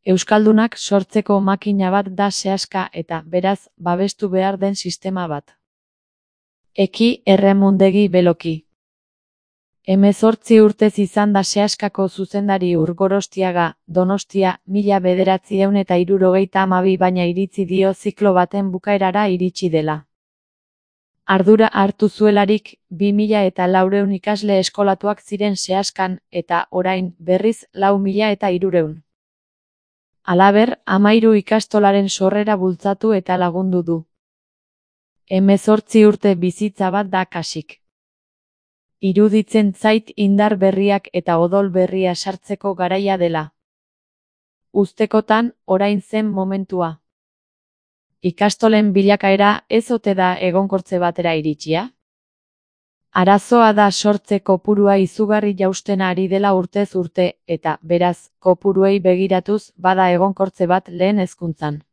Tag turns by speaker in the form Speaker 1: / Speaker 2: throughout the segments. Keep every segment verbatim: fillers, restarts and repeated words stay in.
Speaker 1: Euskaldunak sortzeko makina bat da sehaska eta, beraz, babestu behar den sistema bat. Eki Erremundegi Beloki. Hemezortzi urtez izan da sehaskako zuzendari Urgorostiaga, Donostia, mila bederatziehun eta hirurogeita hamabi baina iritzi dio ziklo baten bukaerara iritsi dela. Ardura hartu zuelarik, bi mila eta laurehun ikasle eskolatuak ziren sehaskan, eta, orain, berriz, lau mila eta hirurehun. Halaber, hamahiru ikastolaren sorrera bultzatu eta lagundu du. Hemezortzi urte bizitza bat da kasik. Iruditzen zait indar berriak eta odol berria sartzeko garaia dela. Uztekotan, orain zen momentua. Ikastolen bilakaera ez ote da egonkortze batera iritsia? Arazoa da sortze kopurua izugarri jausten ari dela urtez urte, eta, beraz, kopuruei begiratuz bada egonkortze bat lehen hezkuntzan.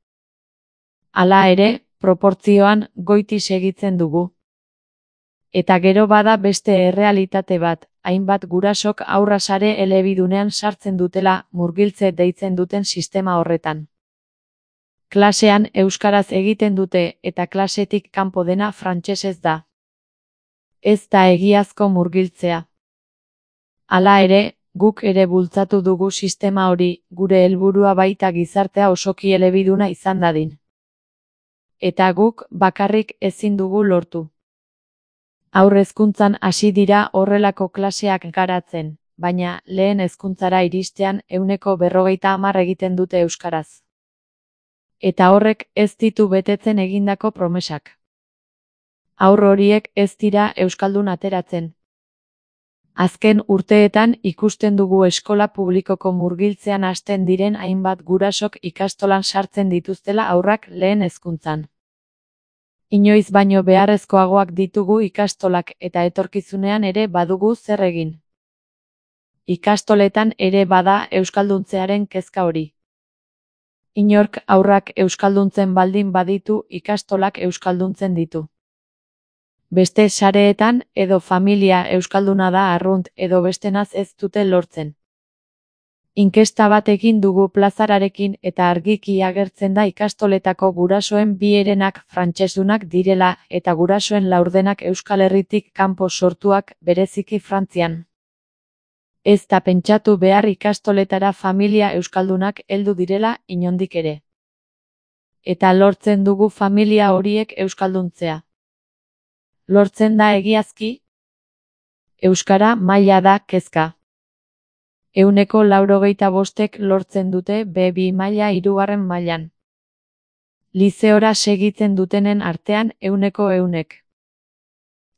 Speaker 1: Hala ere, proportzioan goiti segitzen dugu. Eta gero bada beste errealitate bat, hainbat gurasok haurra sare elebidunean sartzen dutela murgiltze deitzen duten sistema horretan. Klasean euskaraz egiten dute eta klasetik kanpo dena frantsesez da. Ez da egiazko murgiltzea. Hala ere, guk ere bultzatu dugu sistema hori, gure helburua baita gizartea osoki elebiduna izan dadin. Eta guk bakarrik ezin dugu lortu. Haur hezkuntzan hasi dira horrelako klaseak garatzen, baina lehen hezkuntzara iristean ehuneko berrogeita hamar egiten dute euskaraz. Eta horrek ez ditu betetzen egindako promesak. Haur horiek ez dira euskaldun ateratzen. Azken urteetan ikusten dugu eskola publikoko murgiltzean hasten diren hainbat gurasok ikastolan sartzen dituztela haurrak lehen hezkuntzan. Inoiz baino beharrezkoagoak ditugu ikastolak eta etorkizunean ere badugu zer egin. Ikastoletan ere bada euskalduntzearen kezka hori. Inork haurrak euskalduntzen baldin baditu ikastolak euskalduntzen ditu. Beste sareetan edo familia euskalduna da arrunt edo bestenaz ez dute lortzen. Inkesta bat egin dugu plazararekin eta argiki agertzen da ikastoletako gurasoen bi herenak frantsesunak direla eta gurasoen laurdenak Euskal Herritik kanpo sortuak bereziki Frantzian. Ez da pentsatu behar ikastoletara familia euskaldunak heldu direla inondik ere. Eta lortzen dugu familia horiek euskalduntzea. Lortzen da egiazki? Euskara maila da kezka. Ehuneko laurogeita bostek lortzen dute be bi maila hirugarren mailan. Lizeora segitzen dutenen artean ehuneko ehunek.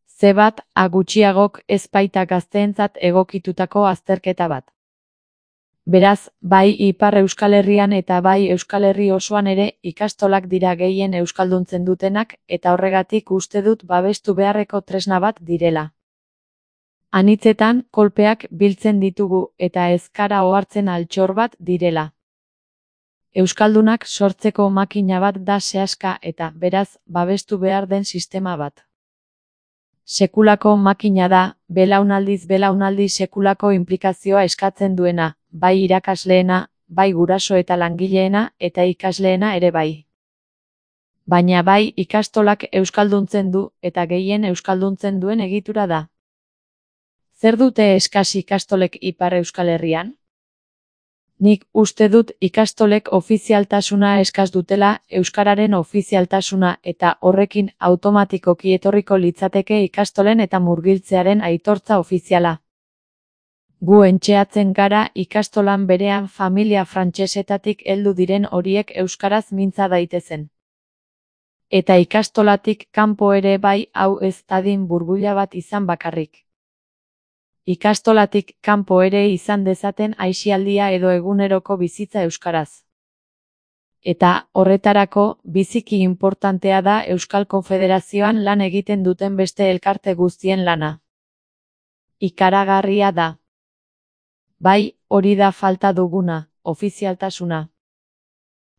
Speaker 1: Ze bat, a gutxiagok ez baita gazteentzat egokitutako azterketa bat. Beraz, bai Ipar Euskal Herrian eta bai Euskal Herri osoan ere ikastolak dira gehien euskalduntzen dutenak eta horregatik uste dut babestu beharreko tresna bat direla. Anitzetan, kolpeak biltzen ditugu eta ezkara ohartzen altxor bat direla. Euskaldunak sortzeko makina bat da sehaska eta, beraz, babestu behar den sistema bat. Sekulako makina da, belaunaldiz belaunaldi sekulako inplikazioa eskatzen duena, bai irakasleena, bai guraso eta langileena eta ikasleena ere bai. Baina bai ikastolak euskalduntzen du eta gehien euskalduntzen duen egitura da. Zer dute eskas ikastolek Ipar Euskal Herrian? Nik uste dut ikastolek ofizialtasuna eskas dutela, euskararen ofizialtasuna eta horrekin automatikoki etorriko litzateke ikastolen eta murgiltzearen aitortza ofiziala. Gu entxeatzen gara ikastolan berean familia frantsesetatik heldu diren horiek euskaraz mintza daitezen. Eta ikastolatik kanpo ere bai hau ez dadin burbuila bat izan bakarrik. Ikastolatik kanpo ere izan dezaten aisialdia edo eguneroko bizitza euskaraz. Eta, horretarako, biziki inportantea da Euskal Konfederazioan lan egiten duten beste elkarte guztien lana. Ikaragarria da. Bai, hori da falta duguna, ofizialtasuna.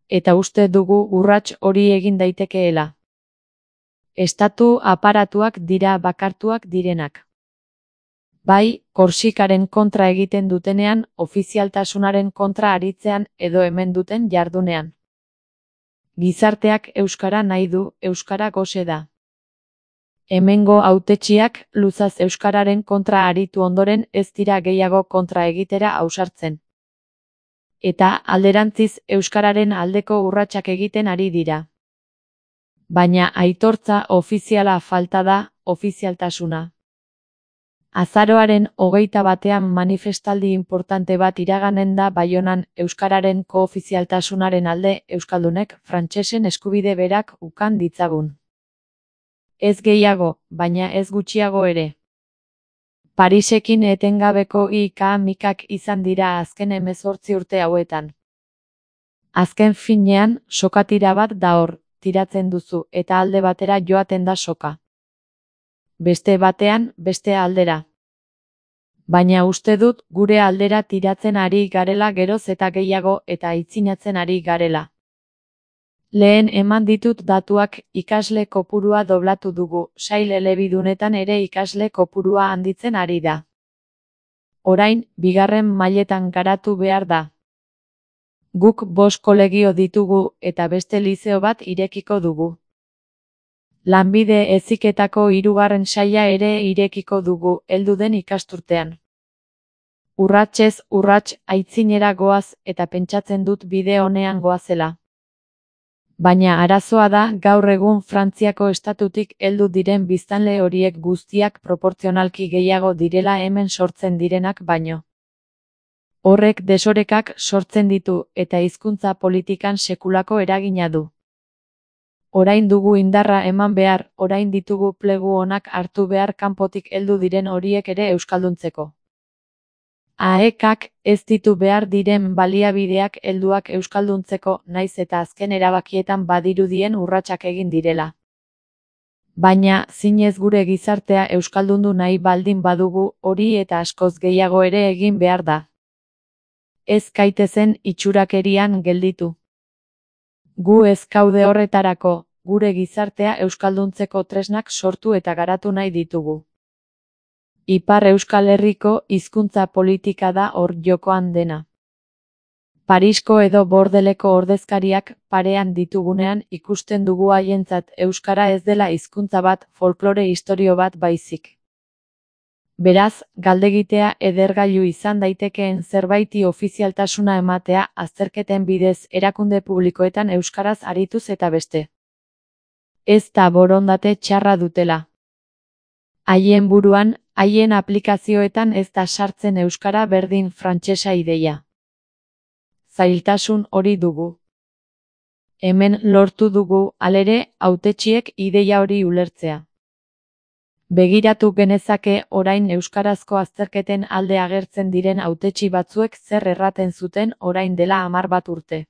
Speaker 1: Eta uste dugu urrats hori egin daitekeela. Estatu aparatuak dira bakartuak direnak. Bai, Korsikaren kontra egiten dutenean, ofizialtasunaren kontra aritzean edo hemen duten jardunean. Gizarteak euskara nahi du, euskara gose da. Hemengo hautetsiak luzaz euskararen kontra aritu ondoren ez dira gehiago kontra egitera ausartzen. Eta alderantziz euskararen aldeko urratsak egiten ari dira. Baina aitortza ofiziala falta da, ofizialtasuna. Azaroaren hogeita batean manifestaldi importante bat iraganen da Baionan euskararen koofizialtasunaren alde euskaldunek frantsesen eskubide berak ukan ditzagun. Ez gehiago, baina ez gutxiago ere. Parisekin etengabeko ika-mikak izan dira azken hemezortzi urte hauetan. Azken finean, sokatira bat da hor, tiratzen duzu eta alde batera joaten da soka. Beste batean, beste aldera. Baina uste dut gure aldera tiratzen ari garela geroz eta gehiago eta aitzinatzen ari garela. Lehen eman ditut datuak, ikasle kopurua doblatu dugu, sail elebidunetan ere ikasle kopurua handitzen ari da. Orain, bigarren mailetan garatu behar da. Guk bost kolegio ditugu eta beste lizeo bat irekiko dugu. Lanbide heziketako hirugarren saila ere irekiko dugu, heldu den ikasturtean. Urratsez urrats aitzinera goaz eta pentsatzen dut bide onean goazela. Baina arazoa da gaur egun Frantziako estatutik heldu diren biztanle horiek guztiak proportzionalki gehiago direla hemen sortzen direnak baino. Horrek desorekak sortzen ditu eta hizkuntza politikan sekulako eragina du. Orain dugu indarra eman behar, orain ditugu plegu onak hartu behar kanpotik heldu diren horiek ere euskalduntzeko. Aekak ez ditu behar diren baliabideak helduak euskalduntzeko naiz eta azken erabakietan badirudien urratsak egin direla. Baina, zinez gure gizartea euskaldundu nahi baldin badugu hori eta askoz gehiago ere egin behar da. Ez gaitezen itxurakerian gelditu. Gu ez gaude horretarako, gure gizartea euskalduntzeko tresnak sortu eta garatu nahi ditugu. Ipar Euskal Herriko hizkuntza politika da hor jokoan dena. Parisko edo Bordeleko ordezkariak parean ditugunean ikusten dugu haientzat euskara ez dela hizkuntza bat, folklore istorio bat baizik. Beraz, galdegitea edergailu izan daitekeen zerbaiti ofizialtasuna ematea azterketen bidez erakunde publikoetan euskaraz arituz eta beste. Ez da borondate txarra dutela. Haien buruan, haien aplikazioetan ez da sartzen euskara berdin frantsesa ideia. Zailtasun hori dugu. Hemen lortu dugu, halere, hautetsiek ideia hori ulertzea. Begiratu genezake orain euskarazko azterketen alde agertzen diren hautetsi batzuek zer erraten zuten orain dela hamar bat urte.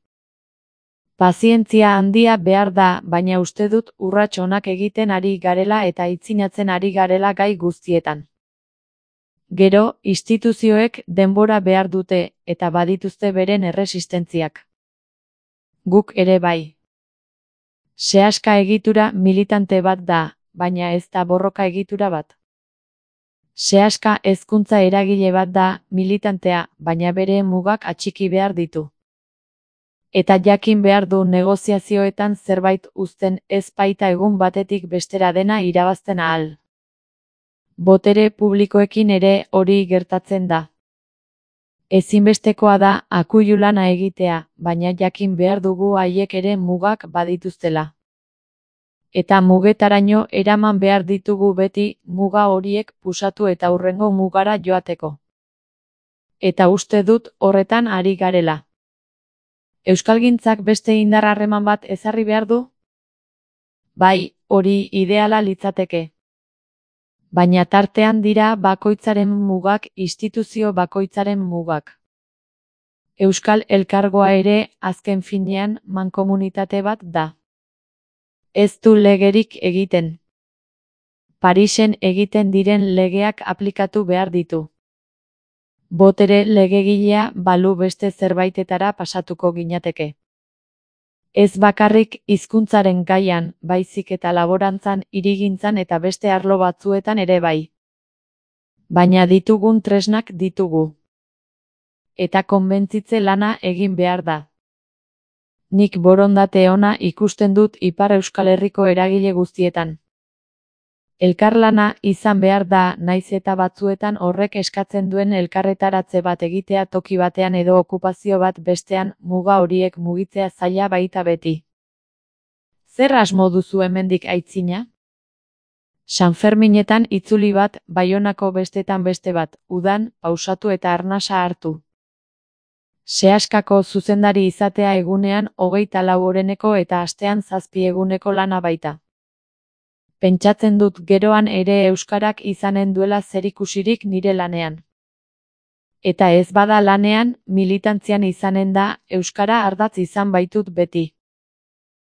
Speaker 1: Pazientzia handia behar da, baina uste dut urrats onak egiten ari garela eta aitzinatzen ari garela gai guztietan. Gero, instituzioek denbora behar dute eta badituzte beren erresistentziak. Guk ere bai. Sehaska egitura militante bat da, baina ez da borroka egitura bat. Sehaska hezkuntza eragile bat da, militantea, baina bere mugak atxiki behar ditu. Eta jakin behar du negoziazioetan zerbait uzten ez baita egun batetik bestera dena irabazten ahal. Botere publikoekin ere hori gertatzen da. Ezinbestekoa da akuilu lana egitea, baina jakin behar dugu haiek ere mugak badituztela. Eta mugetaraino eraman behar ditugu beti muga horiek pusatu eta hurrengo mugara joateko. Eta uste dut horretan ari garela. Euskalgintzak beste indar harreman bat ezarri behar du? Bai, hori ideala litzateke. Baina tartean dira bakoitzaren mugak, instituzio bakoitzaren mugak. Euskal Elkargoa ere, azken finean, mankomunitate bat da. Ez du legerik egiten. Parisen egiten diren legeak aplikatu behar ditu. Botere legegilea balu beste zerbaitetara pasatuko ginateke. Ez bakarrik hizkuntzaren gaian, baizik eta laborantzan, hirigintzan eta beste arlo batzuetan ere bai. Baina ditugun tresnak ditugu. Eta konbentzitze lana egin behar da. Nik borondate ona ikusten dut Ipar Euskal Herriko eragile guztietan. Elkarlana izan behar da, naiz eta batzuetan horrek eskatzen duen elkarretaratze bat egitea toki batean edo okupazio bat bestean, muga horiek mugitzea zaila baita beti. Zer asmo duzu hemendik aitzina? Sanferminetan itzuli bat, Baionako bestetan beste bat, udan, pausatu eta arnasa hartu. Seaskako zuzendari izatea egunean hogeita lau oreneko eta astean zazpi eguneko lana baita. Pentsatzen dut geroan ere euskarak izanen duela zerikusirik nire lanean. Eta ez bada lanean, militantzian izanen da, euskara ardatz izan baitut beti.